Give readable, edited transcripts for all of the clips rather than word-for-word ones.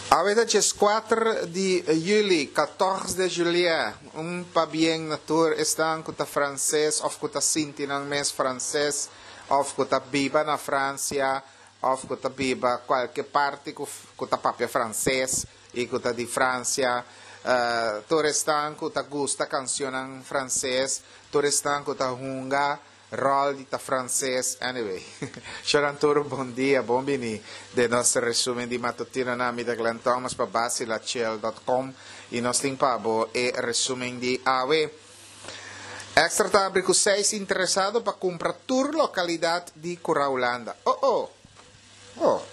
Awe ta djeskuater di juli, 14 de juillet. Un pabien na tur esnan ku ta franses òf ku ta sinti nan mes franses òf ku ta biba na Fransia òf ku ta biba kualke parti ku ku ta papia franses i ku ta di Fransia. Tur esnan ku ta gusta kansionnan franses, tur esnan ku ta hunga Rol di ta frances anyway. Shonan tur un bon dia, bon bini den nos resumen di matutino na mi ta Glenn Thomas pa basilachel dot com y nos tin pa bo e resumen di awe. Extra ta abri cu seis interesado pa cumpra tur localidad di Cura Hulanda. Oh oh! Oh!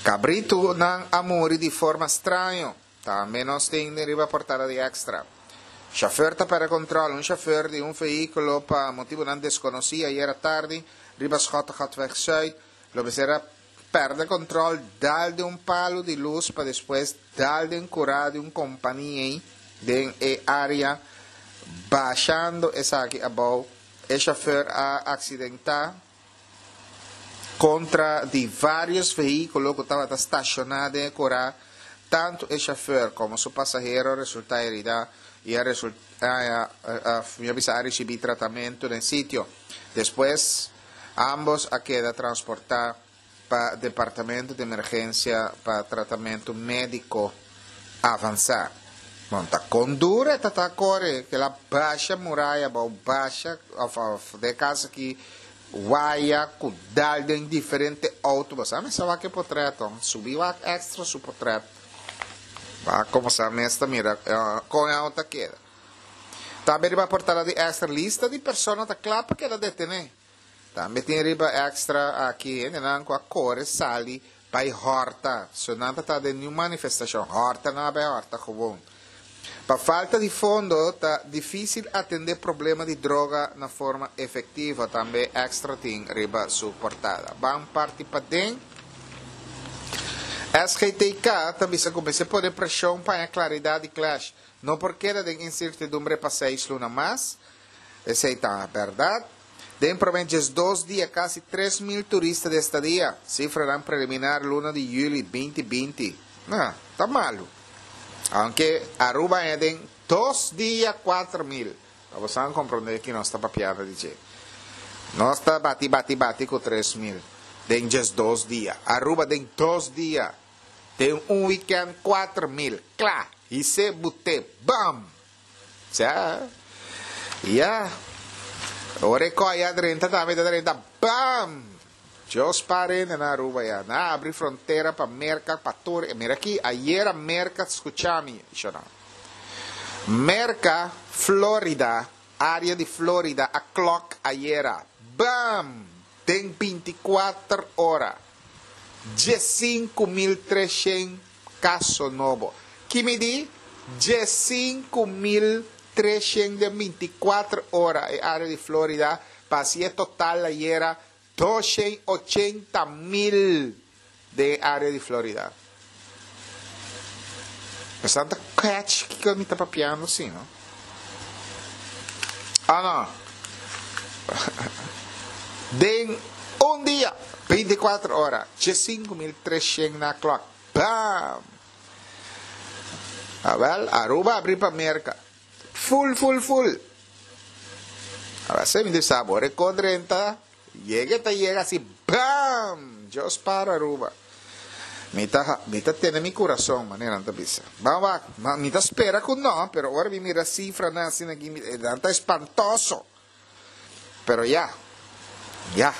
Cabritonan a muri di forma straño. Tambe nos tin den riba portada di Extra. Chauffeur ta perde control Un chauffeur di un vehiculo pa motibonan desconoci ayera tardi riba Schottegatweg Zuid lo mester a perde control dal den un palu di luz pa despues dal den cura di un compania den e area bashando esaki abou. E chauffeur a accidenta. Kontra di vários vehíkulo ku tabata stashoná den e kurá, tantu e shofùr komo su pasahero a resultá heridá i a a risibí tratamentu den sitio. Despues, ámbos a keda transportá pa departamento di emergensia pa tratamentu médiko avansá. Bon, ta kon duro e ta ta kore, kel a basha muraya abou, basha òf òf den e kas aki waya ku dal den diferente outo. Bo sa mester wak e potret on, subi wak extra su potret. Wak komo sa mes ta mira kon e outo a keda. Tambe riba portada di extra lista di persona ta kla pa keda detené. Tambe tin riba extra aki hendenan ku a kore sali bai hòrta. So nan ta ta den niun manifestashon. Hòrta nan a bai hòrta gewoon. Pa falta di fondo ta difísil atendé problema di droga na forma efektivo, tambe extra tin riba su portada. Ban parti paden. SGTK ta bisa ku mester pone preshon pa haña klaridat di Clash. No por keda den insertidumbre pa seis luna mas. Esei ta bèrdat. Den promé 12 dia kasi 3000 turista di estadia, sifranan preliminar luna di yüli 2020. Nah, ta malu. Aunke Aruba haña den dos dia 4000. Pa bosan komprondé ki nos ta papiando di dje. Nos ta bati bati bati ku 3000 den 12 dia. Aruba den dos dia, den un wikènt 4000. Kla! His'é buté. Bam! Sa. Ya. Ora e koi a drenta tambe ta drenta bam! Dios pare hende na Aruba ya. Nan a abri frontera pa Merca pa tur e. Mira aki, ayera Merca scucha mi, shona. Merca, Florida, area di Florida a klok ayera. Bam! Den 24 ora. 15300 kaso nobo. Ki midi? 15300 den 24 ora e area di Florida pa hasi e total ayera 280 mil den e area di Florida. Esnan ta catch kiko mi ta papiando si no? Ah no. Den un dia, 24 ora, 15300 na klok. Bam! Awel, Aruba abri pa Merca. Full, full, full. Awel, se mi di sa bo, rekod renta, yega ta yega asi, bam! Dios para Aruba. Mi ta, mi ta tene mi kurason, manera nan ta bisa. Ban wak, mi ta spera ku no, pero ora mi mira sifranan asina aki, nan ta espantoso. Pero ya, ya.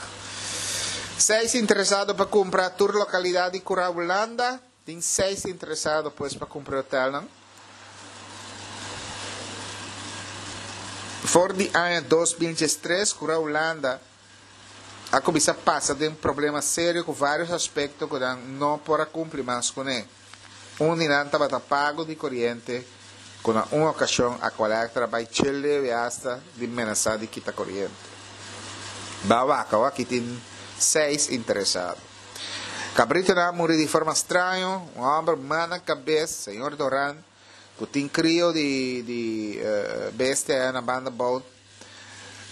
Seis interesado pa kumpra tur lokalidat di Kura Hulanda. Tin seis interesado pues pa kumpra e hotelnan. For di aña 2013 Kura Hulanda a kuminsá pasa den problema serio ku vários aspekto ku nan no por a kumpli mas kuné. Un di nan tabata pago di koriente ku na un okashon Aqualectra a bai chel leu i asta di menasá di kita koriente. Ba wak awo aki tin seis interesado. Kabritonan a muri di forma straño, un hòmber man na kabes, señor Doran, ku tin krio di di bestia aya na banda bou.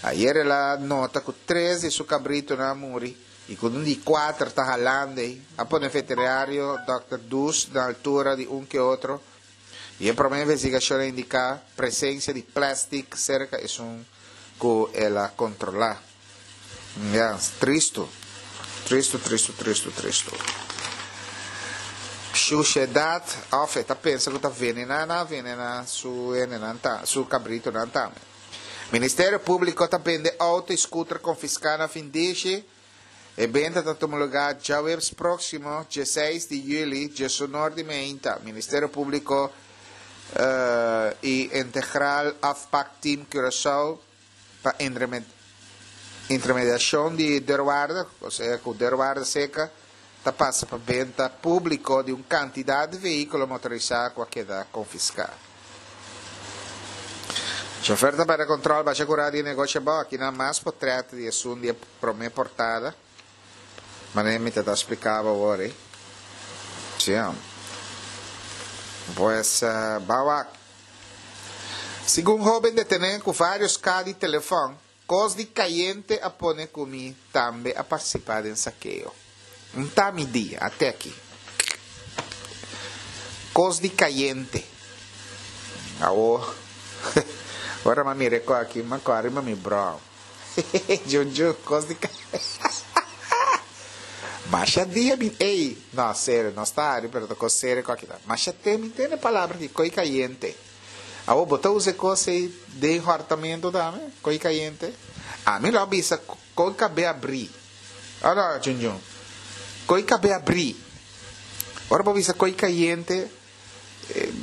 Ayer el a nota ku tres di su kabritonan a muri. I ku un di kuater ta halando ei. A pone veterinario dòkter Dus na altura di un ke otro i e promé investigashon a indiká presensia di plèstik serka esun ku el a kontrolá. Ya, tristu. Tristu, tristu, tristu, tristu. Shushedat òf e ta pensa ku ta venená nan a venená su hendenan ta, su kabritonan tambe. Ministerio Públiko ta bende outo i skuter konfiská na Findishi. E benta ta tuma lugá djaweps próksimo, dieseis di yüli, diesunor di meinta. Ministerio Públiko i Integral Afpakteam Curaçao pa intermediashon di deurwaarder, osea ku deurwaarder seka, ta pasa pa benta públiko di un kantidat di vehíkulo motorisá ku a keda konfiská. Chofer ta pèrdè kòntròl basha kurá di e negoshi abou. Akinan mas potrèt di esun di e promé portada. Manera mi ta ta spliká bo awor ei. Sí. Pues, ban wak. Segun hóben detené ku vários ka di telefòn, kos di kayente a pone ku mi tambe a partisipá den sakeo. N ta mi di, ate aki. Kos di kayente. Awo, ora m'a mira e kos aki, m'a kòrda riba mi bròm. Junjun, kos di kayente. Masha dia mi, ey, no, serio, no sta hari, pero ta kos serio ku aki ta. Masha te mi tende palabra aki, koi kayente. Awo, bo ta usa e kos ey den hòrtamentu tambe, koi kayente? Ami lo a bisa koi kab'é abrí. Ora, Junjun, koi kab'é abrí. Ora bo bisa koi kayente,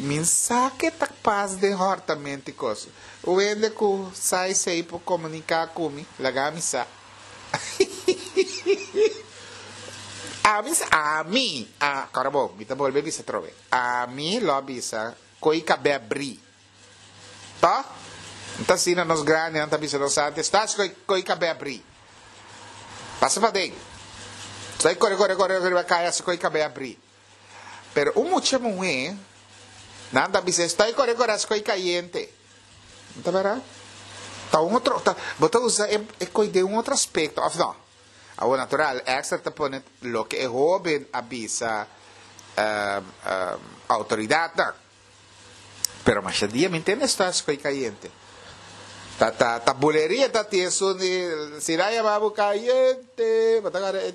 mi sa ke ta pas den hòrtamentu i kos. Un hende ku sa esei por komuniká ku mi, laga mi sa. Ami sa, ami, a, kòrda bo, mi ta bolbe bisa atrobe. Ami lo a bisa koi kab'é abrí. Tò? N ta asina nos grandinan ta bisa nos antes, Stach koi, koi kab'é abrí. Pasa paden. Stoi kore, kore, kore riba kaya si koi kab'é abrí. Pero un mucha muhé, nan ta bisa, Stoi kore, kore hasi koi kayente. N ta bèrdat? Ta un otro, ta, bo ta usa e, e koi den un otro aspekto, òf no? Awor, natural, Extra ta pone loke e hóben a bisa outoridatnan. Pero masha dia mi ntende esta escoy cayente. Ta ta ta buleria ta tin esun di si nan yama bo cayente bo ta agarra e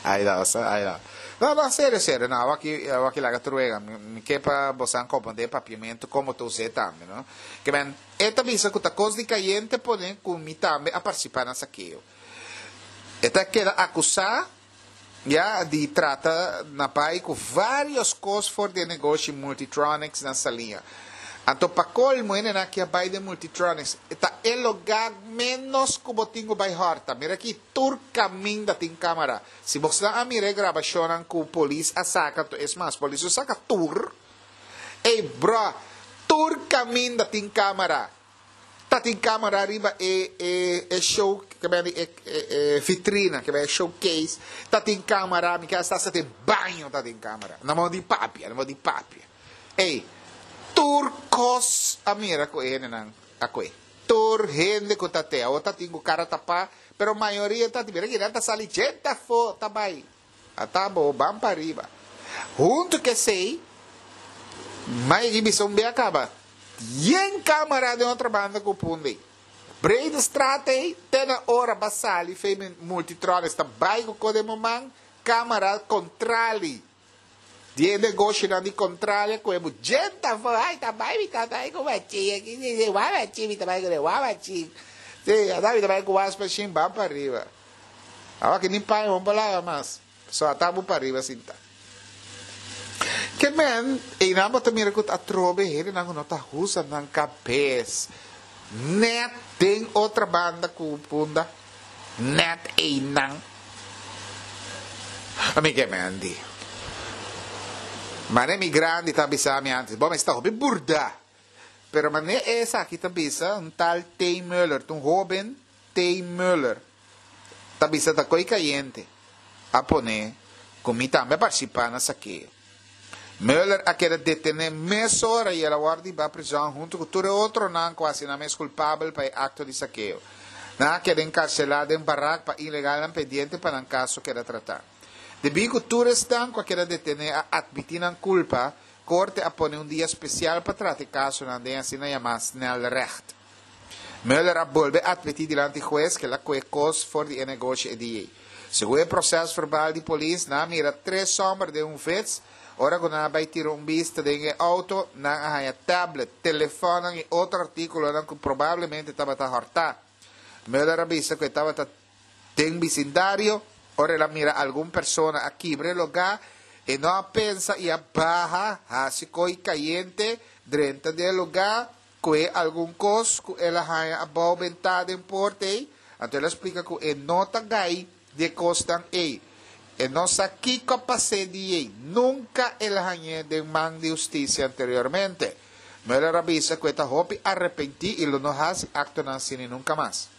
Ay no sa ay no. No no serio serio no awaki awaki laga tur wega mi mi ke pa bosan comprende e papiamento como ta us'e tambe no. Ke men e ta bisa cu ta cos di cayente pone cu mi tambe a participa na sakeo. E ta keda acusa. Ya di trata na bai ku varios kos for di e negoshi Multitronics na Saliña. Anto pa kolmo hendenan aki a bai den Multitronics. E ta e lugá ménos ku bo tin ku bai hòrta. Mira aki tur kaminda tin kámara. Si bosnan a mira e grabashonnan ku polis a saka, anto es mas polis no saka tur. Ey brò, tur kaminda tin kámara. Ta tin camera riba e e e show ke bende e e vitrina ke bende showcase ta tin camera mi ke hasta hasta den baño ta tin camera no mo di papia no mo di papia ey tur cos a mira cu e hendenan a cue tur hende cu ta te awor ta tin cu cara tapa pero mayoria ta tin mira kinan ta sali djente afo ta bay Ata bo ban pa riba. Huntu ku esei, mai di bisa un bia kaba. Yen kamara den otro banda ku punda ei. Breedestraat ei, te na ora ba sali fei Multitronics ta bai ku kos den bo man, kamara kontrali. Di e negoshonan di kontrali a kohe bo djenta afó, ai ta bai mi ta bai ku machín aki, wak machín mi ta bai kuné, wak machín. Sí, ata mi ta bai ku wasmachine ban pa riba. Awa ki ni paña bo por laba mas. So ata bo pariba sinta. Ke men, einan bo ta mira ku atrobe hendenan ku no ta husa nan kabes. Net den otra banda ku punda. Net einan. Ami ke men di. Mane mi grandi ta bisa mi antes, bo mester ta hopi burda. Pero mane esaki ta bisa, un tal T. Muller, ta un hoben T. Muller ta bisa ta koe kayente a pone ku mi tambe a partisipá na sakeo. Muller a keda detené mesora i el a wòrdu hibá prizòn huntu ku tur e otronan ku a hasi nan mes kulpabel pa e akto di sakeo. Nan a keda enkarselá den barak pa ilegalnan pendiente pa nan kaso keda tratá. Debí ku tur esnan ku a keda detené a atmití nan kulpa, korte a pone un dia spesial pa trata e kasonan den asina yamá snelrecht. Muller a bolbe atmití dilanti hues ku el a kohe kos for di e negoshi e dia ei. Segun e prosèsverbal di polis, nan a mira tres hòmber den un vets. Ora ku nan a bai tira un bista den e outo, nan a haña tablet, telefònnan i otro artíkulonan ku probablemente tabata hòrtá. Muller a bisa ku e tabata den bisindario ora el a mira algun persona a kibra e lugá, e no a pensa i a baha hasi koi kayente drenta den e lugá Kue algun kos ku el a haña abou bentá den porta ei, anto el a splika ku e no ta gai di e kosnan ei. E no sa kiko a pas'é di ei. Nunka el a hañ'é den man di hustisia anteriormente. Mueller a bisa ku e ta hopi arepentí i lo no hasi aktonan asina nunka mas.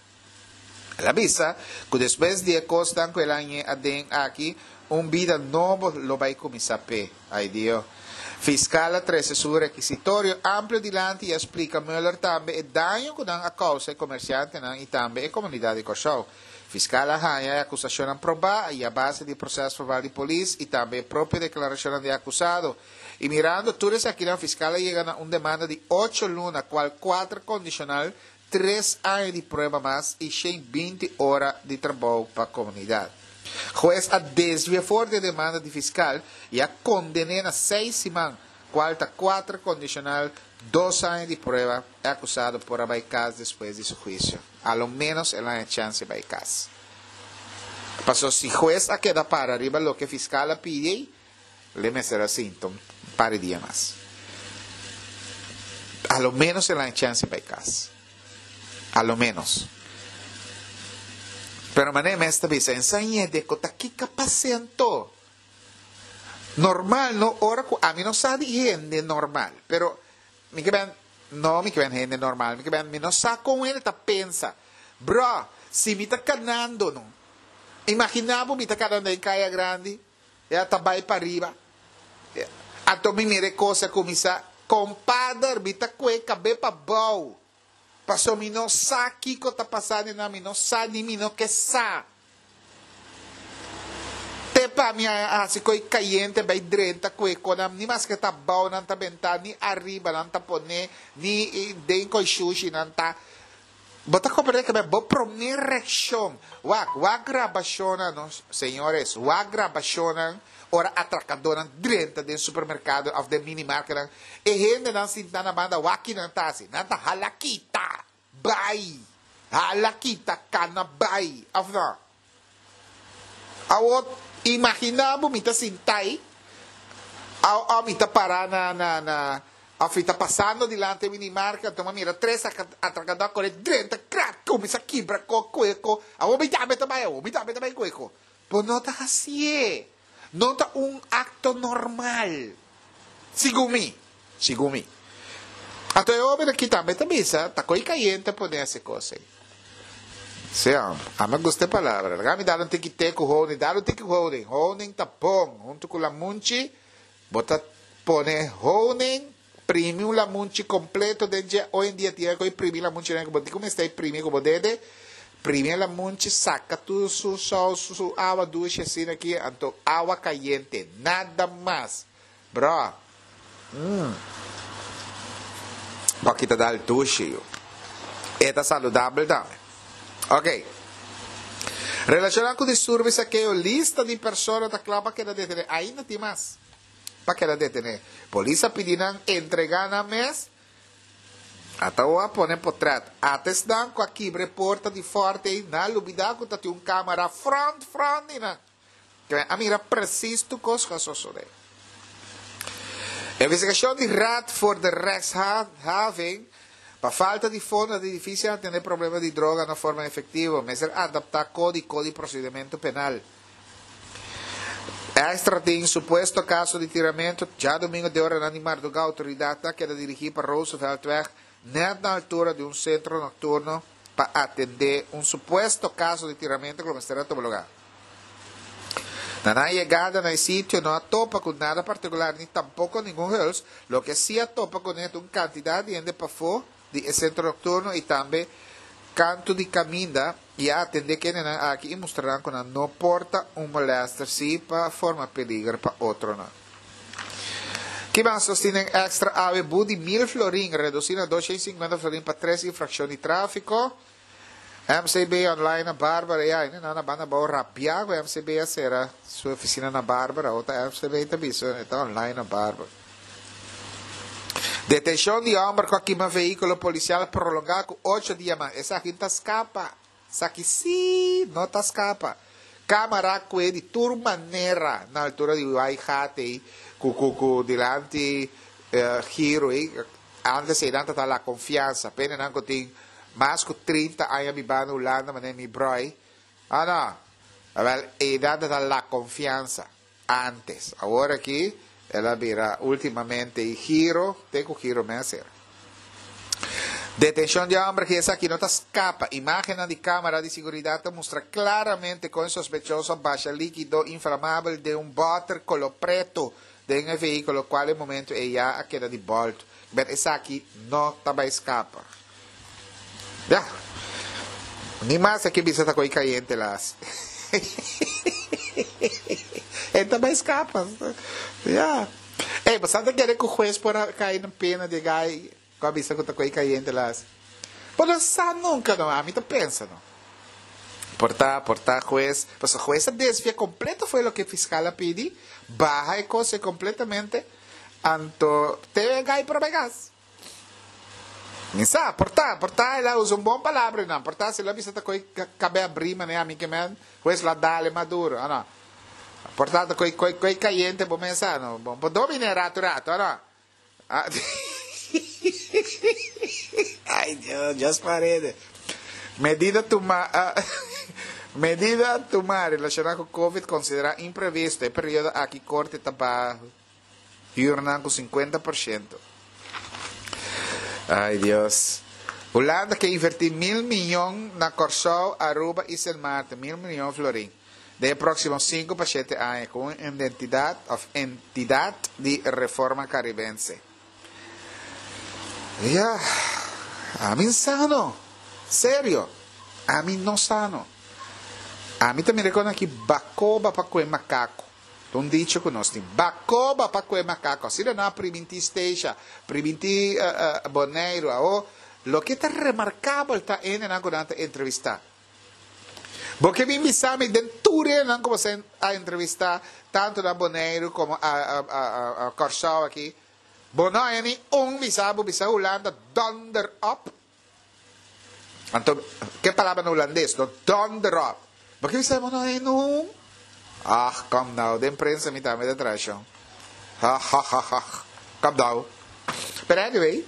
El a bisa ku despues di e kosnan ku el a hañ'é aden aki, un bida nobo lo bai kuminsá p'e. Ai Dio. Fiskal a trese su rekisitorio amplio dilanti i a splika Muller tambe e daño ku nan a kousa e komersiantenan i tambe e komunidat di Kòrsou. Fiskal a haña e akusashonnan probá i a base di prosèsverbal di polis i tambe e propio deklarashonnan di e akusado. I mirando tur esakinan fiskal a yega na un demanda di ocho luna kual kuater kondishonal tres aña di prueba mas i 120 ora di trabou pa komunidat. Hues a desvia for di e demanda di fiskal i a konden'é na seis siman, kual ta kuater kondishonal, dos aña di prueba, e akusado por a bai kas despues di su huisio. A lo ménos el a haña chèns di bai kas. Paso si hues a keda para riba loke fiskal a pidi ei, L'e mester a sinta un par di dia mas. A lo menos el a haña chèns di bai kas. A lo menos. Pero manera mes ta bisa, ensañ'e de ku ta kiko a pas'é anto. Normal no, ora ku ami no sa di hende normal, pero mi ke ben, no mi ke ben hende normal, mi ke ben mi no sa kon hende ta pensa. Bro, si mi ta kanando no, imaginá bo mi ta kanando den Kaya Grandi, E a ta bai pariba. Anto mi mira e kos a kuminsá, Kompader, mi ta kue kab'é pa bou. Paso mi no sa kiko ta pasá den nan, mi no sa ni mi no ke sa. Te pa mi a hasi koi kayente bai drenta kue konan, ni maske ta bou nan ta bentá, ni ariba nan ta poné, ni den koi shushi nan ta. Bo ta comprende ke bo prome reaccion wak wak grabacionnan no señores wak grabacionnan ora atracadornan drenta den supermercado of den minimarketnan e hendenan sinta na banda wak kinan ta haci nan ta hala kita bay hala kita cana bay of no Awor imagina bo mi ta sintai o mi ta para na na na of mi ta pasando dilanti e minimarket anto mi a mira tres atracador a kore drenta krak kuminsa kibra ko kue ko awor mi tambe ta bai awor mi tambe ta bai kue ko bo no ta hacié no ta un acto normal segun mi segun mi anto e hoben aki tambe ta bisa ta koi kayente pone hasi kos ei. Sí, ami a gusta e palabra. Laga mi dal un tiki te ku honing. Dal un tiki honing. Honing ta bon. Huntu ku lamunchi, bo ta pone honing, primi un lamunchi kompleto den dje. Hoy en dia tin ku primi lamunchi ku bo tin ku mester primi ku bo dede. Primi e lamunchi, saka tur su sous, su awa dushi asina aki, anto awa kayente. Nada mas. Bro, mm. Bo a kita dal dushi yu. E ta saludabel tambe. Ok. Relaciona cu disturbio y sakeo, lista di persona ta cla pa keda detene. Ainda tin mas pa keda detene. Polis a pidi nan entrega nan mes. Ata a pone potret. Ata esnan cu a kibra e porta di forte ey, nan a lubida cu ta tin un camera front front di nan. Kren a mira precies tur kos ku a sosodé. Investigashon di Raad voor de Rechtshandhaving Pa falta di fondo ta difísil atendé problema di droga na forma efektivo. Mester adaptá kódiko di prosedimentu penal. Extra tin supuesto kaso di tiramentu djadumingu den oranan di mardugá outoridatnan a keda dirigí pa Rooseveltweg nèt na altura di un sentro nokturno pa atendé un supuesto kaso di tiramentu ku lo mester a tuma lugá. Na nan yegada na e sitio no a topa ku nada partikular ni tampoko ningun huls, loke sí a topa kuné ta un kantidat di hende pafó di e sentro nokturno i tambe Kantu di kaminda i a atendé kendenan aki i mustra nan ku nan no por ta un molèster sí pa forma peliger pa otronan. Ki mas nos tin den èkstra awe? Bu di mil florin redusí na 250 florin pa tres infrakshon di tráfiko. MCB online na Barbara ya hende nan na banda abou rabiá ku MCB a sera su ofisina na Barbara awor ta MCB ta bisa e ta online na Barbara. Detenshon di hòmber ku a kima vehíkulo polisial prolongá ku ocho dia mas. Esaki ta skapa. Esaki sí no ta skapa. Kámara kue di tur manera na altura di Waigate ei ku ku ku dilanti giro ei. Antes einan ta ta La Confianza. Pene nan ku tin mas ku 30 aña bibá na Hulanda manera mi bròi. Ah no. Awèl einan ta ta La Confianza. Antes. Awor aki el a bira ultimamente y giro te cu giro mes era. Detencion di homber ki esaki no ta scapa. Imagennan di camara di siguridad ta mustra claramente con e sospechoso a basha likido inflamabel den un boter colo preto den e vehiculo cual e momento ey ya a keda di bolto. Bet esaki no ta bay scapa. Ya. Ni mas aki bisa ta koy cayente las. E ta bay scapa. Ya. Ey, bo sa ta kere cu huez por a cay na pena di e guy cu a bisa cu ta koy cayente las? Bo no sa nunca no, ami ta pensa no. Por ta, por ta huez, pasobra huez a desvia completo fo'i loke fiscal a pidi, baha e cos completamente, anto te e guy por a bay cas. Mi sa, por ta, por ta el a usa un bon palabra einan, por ta si el a bisa ta koe kabe abrí manera ami ke men, hues lo a dale mas duro, o no? Por ta ta koe, koe, koe kayente bo mes sa, no? Bo por dominé ratu ratu, o no? Ay Dios, Dios parede. Medida tuma, medida tuma relashoná ku Covid konsiderá imprevisto, e periodo aki korte ta baha. Huurnan ku 50%. Ay Dios. Hulanda ke invertí mil miyon na Kòrsou, Aruba i Sint Maarten, mil miyon florin, den e próksimo sinku pa shete aña ku un identidat òf entidat di reforma karibense. Ya, ami sa no. Serio, ami no sa no. Ami ta mira kon aki bakoba pa kue makaku. Ta un dicho ku nos tin. Bakoba pa kue makako. Asina nan a primintí Statia, primintí Boneiru. Awo, loke ta remarkabel ta hendenan ku nan ta entrevistá. Bo ke bin bisa mi den tur hendenan ku bo a entrevistá, tantu na Boneiru komo a Kòrsou aki, bo no haña ni un bisa bo bisa Hulanda donder op? Anto, ke palabra na hulandes, no? Donder op. Bo ke bisa bo no haña nun? Ach, kom nou. Den prensa mi tambe ta traha shon. Ha, ha, ha, ha. Kom nou. Pero anyway,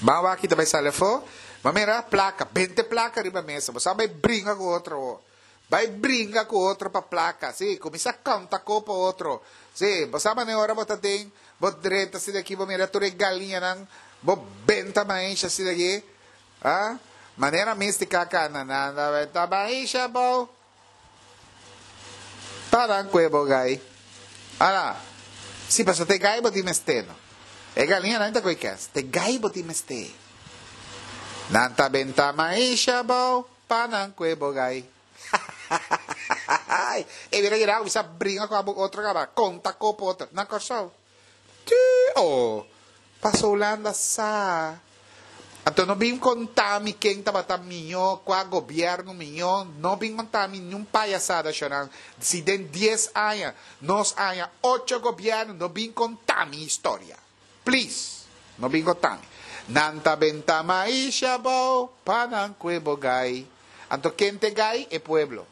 ban wak kita bai sali afó. Bo mira plaka, bente plaka riba mesa. Bo sa bai bringa ku otro ho. Bai bringa ku otro pa plaka, sí, kuminsá kanta ko pa otro. Sí, bo sa manera ora bo ta den, bo drenta asina aki, bo mira tur e galiñanan, bo benta maisha asina aki, ah, manera mística kana nan ta benta maisha abou. Paran ku e bo gai. Ala, sí, pasobra ta e gai bo tin mester no. E galiñanan ta koe kès, ta e gai bo tin mester. Nan ta benta maisha abou. Pa nan kue bo gai. Hahahahahaai. E bira yera kuminsá bringa ku abo otro kaba. Konta kopo otro. Na Kòrsou. Tjii oh. Paso Hulanda sa. Anto no bin konta mi ken tabata mihó, kua gobièrnu mihó. No bin konta mi niun payasada shonnan. Si den dies aña nos haña ocho gobièrnu no bin konta mi historia. Please, no bin gotami. Nan ta benta maisha abou pa nan kue bo gai. Anto ken t'e gai? E pueblo.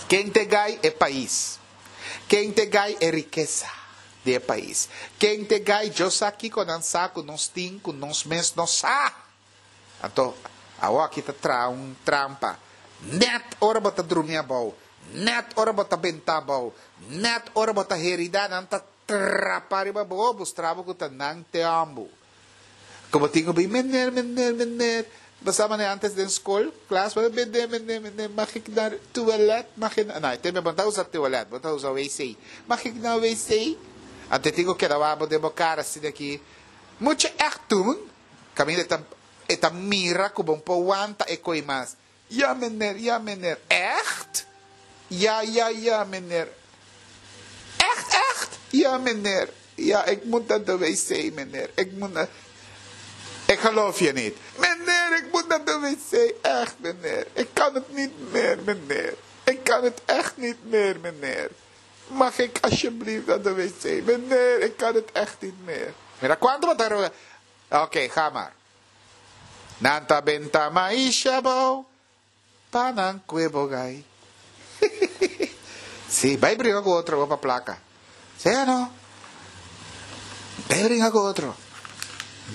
Ken t'e gai? E pais. Ken t'e gai? E rikesa di e pais. Ken t'e gai? Dios sa kiko nan sa ku nos tin ku nos mes no sa. Anto, awoki ta traha un trampa. Nèt ora bo ta drumi abou, nèt ora bo ta benta abou, nèt ora bo ta herida, nan ta Trapa riba bo, mustra bo ku ta nan te òmbu. Ku bo tin ku bin, Meneer, meneer, meneer. Bo sa manera antes den skol, klas, bo ta meneer, meneer, meneer, mag ik naar toilet? Mag ik naar. No, e tempo bo no ta usa toilet, bo ta usa wc. Mag ik naar wc? Anto e tin ku keda wak bo den bo kara asina aki, Moet je echt doen? Kaminda e ta. E ta mira ku bo por wanta e koi mas. Ja meneer, ja meneer. Echt? Ja, ja, ja meneer. Echt, echt? Ja meneer. Ja, ik moet naar de wc meneer. Ik moet naar... Ik geloof je niet. Meneer, ik moet naar de wc. Echt meneer. Ik kan het niet meer meneer. Ik kan het echt niet meer meneer. Mag ik alsjeblieft naar de wc? Meneer, ik kan het echt niet meer. Mira, kuantu bo ta roga? Oké, ga maar. Nan ta benta maisha abou, pa nan kue bo gai. Sí, bai bringa ku otro bo pa plaka. Sí o no? Bai bringa ku otro.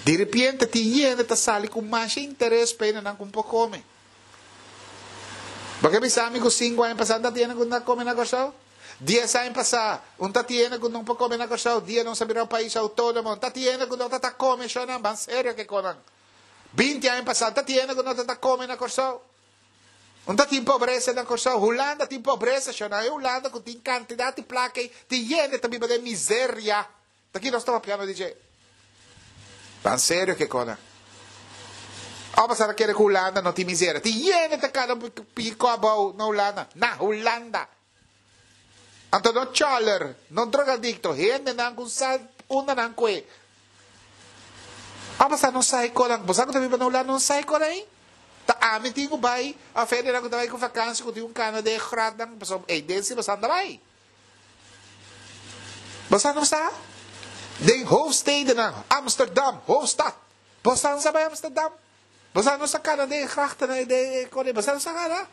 Di repente tin hende ta sali ku masha interes pa hende nan ku por kome. Bo ke bisa mi ku sinku aña pasá ta tiene ku no ta kome na Kòrsou? Dies aña pasá un ta tiene ku no por kome na Kòrsou dia nos a bira un pais outónomo un ta tiene ku no ta ta kome shònan ban serio ke konan. 20 aña pasá ta tiene ku no ta ta kome na Kòrsou. Un ta tin pobresa na Kòrsou. Hulanda tin pobresa shònan e Hulanda ku tin kantidat di plaka ei tin hende ta biba den miseria. Ta ki nos ta papiando di dje? Tan serio ke kona. Ò pasá ta kere ku Hulanda no tin miseria. Tin yende ta kada piko abou na Hulanda. Na Hulanda! Anto no choler, no drogadicto, hendenan ku sa unda nan kue. Ò pasá no sa e konan. Bo sa ku ta biba na Hulanda no sa e konan ei? Ta ami tin ku bai òf hendenan ku ta bai ku vakansi ku tin un kana den e grotnan pasobra ei den si bo sa anda bai. Bo sa no sa? Den hoofdstedennan, Amsterdam, hoofdstad. Bo sa no sa bai Amsterdam? Bo sa no sa kana den e grachtennan den e kore? Bo sa no sa kana?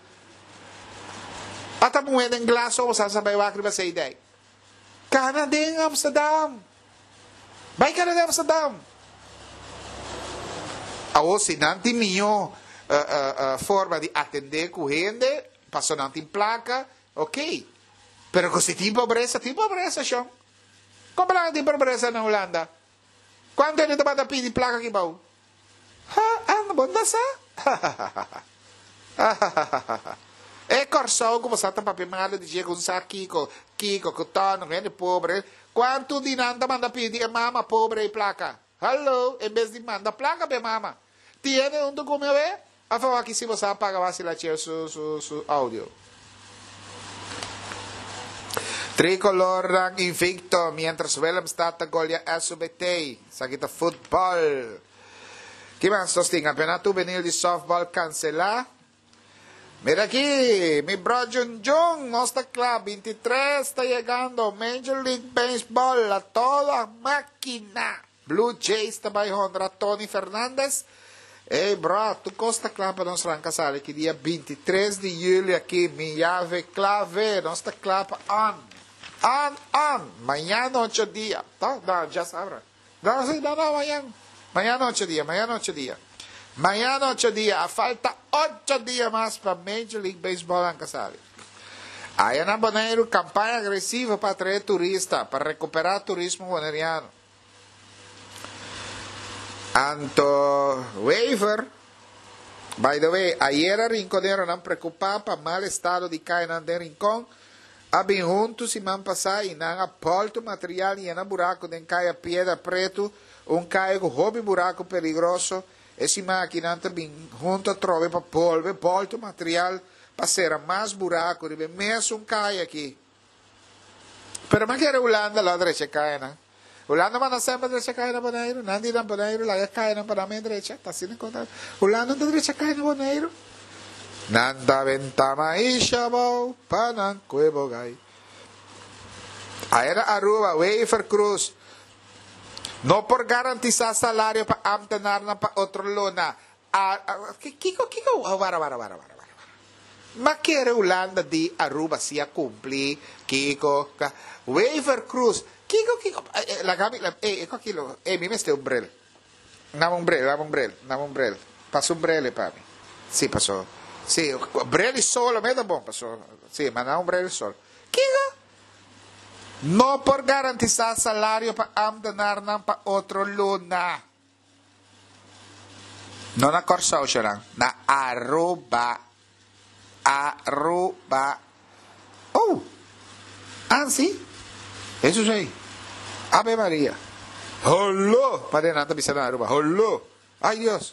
Ata muhé den glas so bo sa no sa bai wak riba Zeedijk. Kana den Amsterdam. Bai kana den Amsterdam. Awor si nan tin mihó forma di atendé ku hende, pasobra nan tin plaka, Ok, pero ku si tin pobresa, tin pobresa shon. Kon plaka tin pobresa na Hulanda? Kuantu hende tabata pidi plaka aki bou? Ha, anda bo no sa? Hahahaha. Hahahaha. E Kòrsou ku bo sa ta papia malu di dje ku un sa kiko, kiko, ku tòno, ku hende pobre. Kuantu di nan ta manda pidi e mama pobre ei plaka? Hallo, en bes di manda plaka pa e mama. Tin hende huntu ku mi awe? Afo aki si bo sa paga wasi la chel su su su audio. Tricolornan invicto mientras Willemstad ta golea SUBT. Esaki ta futbol. Ki mas nos tin? Campeonato hubenil di softball cancela. Mira aki, mi bro Jun Jun, nos ta cla, 23 ta yegando, Major League Baseball a toda máquina. Blue Jays ta bai honra Tony Fernandez. Ey bro, tur cos ta cla pa nos ranca sali aki dia 23 di juli aki, mi yave clave, nos ta cla pa on, on, on, mañana ocho dia, to? No, djasabra. No, si, no, no, mañan, mañana ocho dia, mañana ocho dia. Mañana ocho dia, a falta ocho dia mas pa Major League Baseball ranca sali. Aya na Boneiru, campaña agresivo pa atrae turista, pa recupera turismo boneriano. Anto Wever, by the way, ayera rinconeronan preocupa pa mal estado di cayanan den Rincon, a bin hunto siman pasa y nan a bolto material y yena buraco den caya Piedra Preto, un caya cu hopi buraco peligroso. E siman aki nan ta bin hunto atrobe pa bolbe bolto material pa cera mas buraco riba e mesun caya aki. Pero mi a kere Hulanda lo a drecha e kayanan. Hulanda manda semper drecha kaya na Boneiru. Nan di na Boneiru laga kayanan pa nan men drecha. Ta asina kon ta. Hulanda no ta drecha kaya na Boneiru. Nan ta benta maisha abou pa nan kue bo gai. Aya na Aruba, Wever Croes no por garantisa salario pa ambtenarnan pa otro luna. Kiko, kiko, wara, wara, wara, wara, wara. Ma kere Hulanda di Aruba si a cumpli, kiko, ka, Wever Croes, kiko, kiko, laga mi, ey, e koki lo, ey, mi mester un bril. Dame un bril, dame un bril, dame un bril. Pasa un bril pa mi. Si, paso, si, bril di solo me ta bon, paso, si, ma dame un bril di solo. Kiko? No por garantisa salario pa ambtenarnan pa otro luna. No na Kòrsou shornan, na Aruba. Aruba. Oh! Ansi? Hesus ei. Ave Maria. Holó! Paria nan ta bisa na Aruba. Holó! Ay Dios!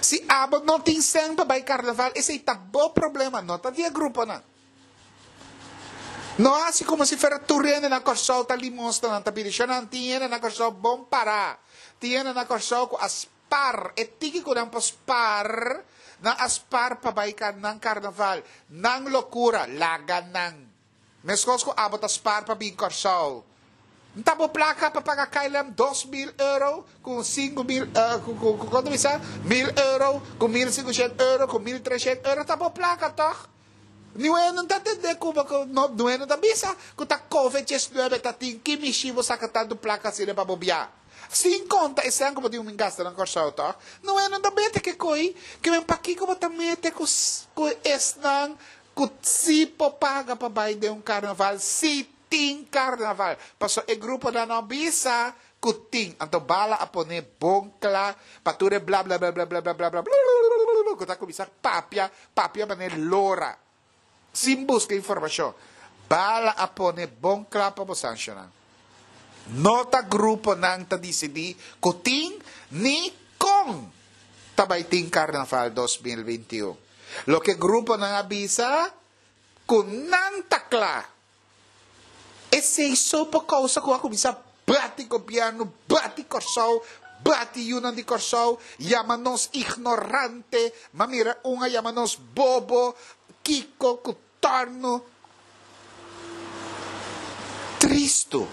Si abo no tin sèn pa bai karnaval, esei ta bo problema, no ta di e gruponan. No hasi komo si fuera tur hende na Kòrsou ta limosna nan ta pidi. Shonnan, tin hende na Kòrsou bon pará. Tin hende na Kòrsou ku a spar e tiki ku nan por spar, nan a spar pa bai nan karnaval. Nan lokura, laga nan. Meskos ku abo ta spar pa bin Kòrsou. N ta bo plaka pa paga KLM 2000 euro ku 5000 ku ku ku konta bisa? Mil euro ku 1500 euro ku 1300 euro ta bo plaka tòg? Niue no ta tende ku bo ku no niue no ta bisa ku ta covid 19 ta tin ki mishi bo saka tantu plaka asina pa bo bia. Sin konta esnan ku bo tin un gasta na Kòrsou tòg. Niue no ta mete ke koi ke men pakiko bo ta mete ku ku esnan ku si por paga pa bai den un karnaval si tin karnaval. Pasobra e gruponan no bisa ku tin. Anto Bala a pone bon kla pa tur e blablablablablablablablablablablablabla ku ta kuminsá papia, papia manera lora, sin buska informashon. Bala a pone bon kla pa bo sanshonan. No ta gruponan ta disidí ku tin ni kon ta bai tin Karnaval 2021. Loke gruponan a bisa ku nan ta kla. Esei so por kousa ku a kuminsá bati gobièrnu, bati Kòrsou, bati yunan di Kòrsou, yama nos ignorante, m'a mira un a yama nos bobo, kiko ku tòrnu. Tristu,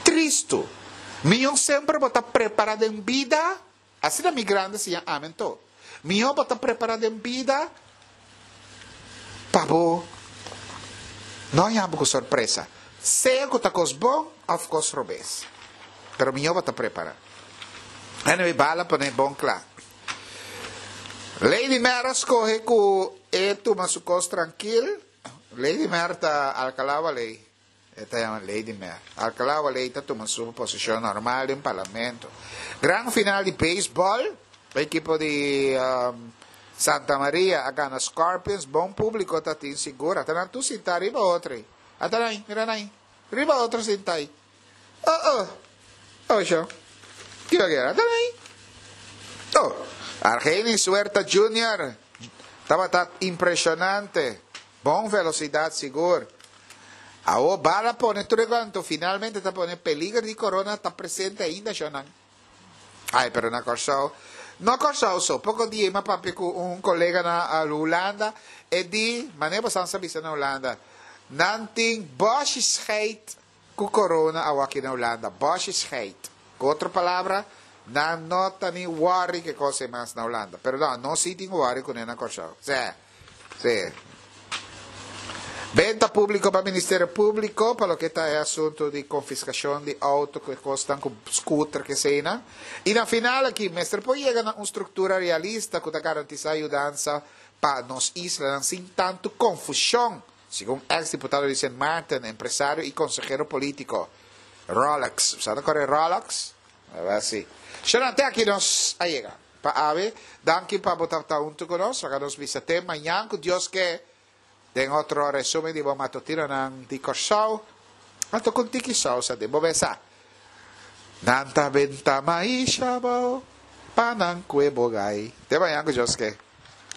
tristu. Mihó semper bo ta prepará den bida, asina mi grandi siña ami anto. Mihó bo ta prepará den bida pa bo no haña bo ku sorpresa, sea ku ta kos bon òf kos robes. Pero mihó bo ta prepará. Anyway, bala pone bon kla. Lady Mer a skohe ku e tuma su kos trankil. Lady Mer ta Alcalá Waley. E ta yama Lady Mer. Alcalá Waley ta tuma su posicion normal den Parlamento. Gran final di baseball. E ekipo di Santa Maria a gana Scorpions. Bon publico ta tin sigur. Ata nan tur sinta riba otro ei. Ata nan ei, mira nan ei. Riba otro sinta ei. Oh oh. Oh sho. Kiko kera? Ata nan ei. Oh. Argenis Huerta Junior tabata impresionante. Bon velocidad sigur. Awo bala pone tur e cuanto finalmente ta pone peliger di corona ta presente ainda shonan. Ay pero na Corsou no Corsou so poco dia mi a papia cu un colega na Hulanda e di mane bo san sa bisa na Hulanda nan tin boshi scheid cu corona awo aki na Hulanda boshi scheid cu otro palabra nan no ta ni worry ke cos ey mas na Hulanda pero no nos si tin worry cune na Corsou se. Sí. Benta públiko pa Ministerio Públiko pa loke ta e asuntu di konfiskashon di outo ku e kosnan ku skuter ku eseinan. I na final aki mester por yega na un struktura realista ku ta garantisá yudansa pa nos islanan sin tantu konfushon, segun eks diputado di Sint Maarten, empresario i konsehero polítiko. Rolex. Bo sa ta kore Rolex? Aba si. Shona, te aki nos a yega. Pa awe, danki pa bo tabata huntu ku nos. Laga nos bisa te mañan ku Dios ke den otro resumen di bo matutinonan di Kòrsou. Anto ku un tiki sousa den bo mesa. Nan ta benta maisha bo pa nan kue bo gai. Te mañan ku Dios ke.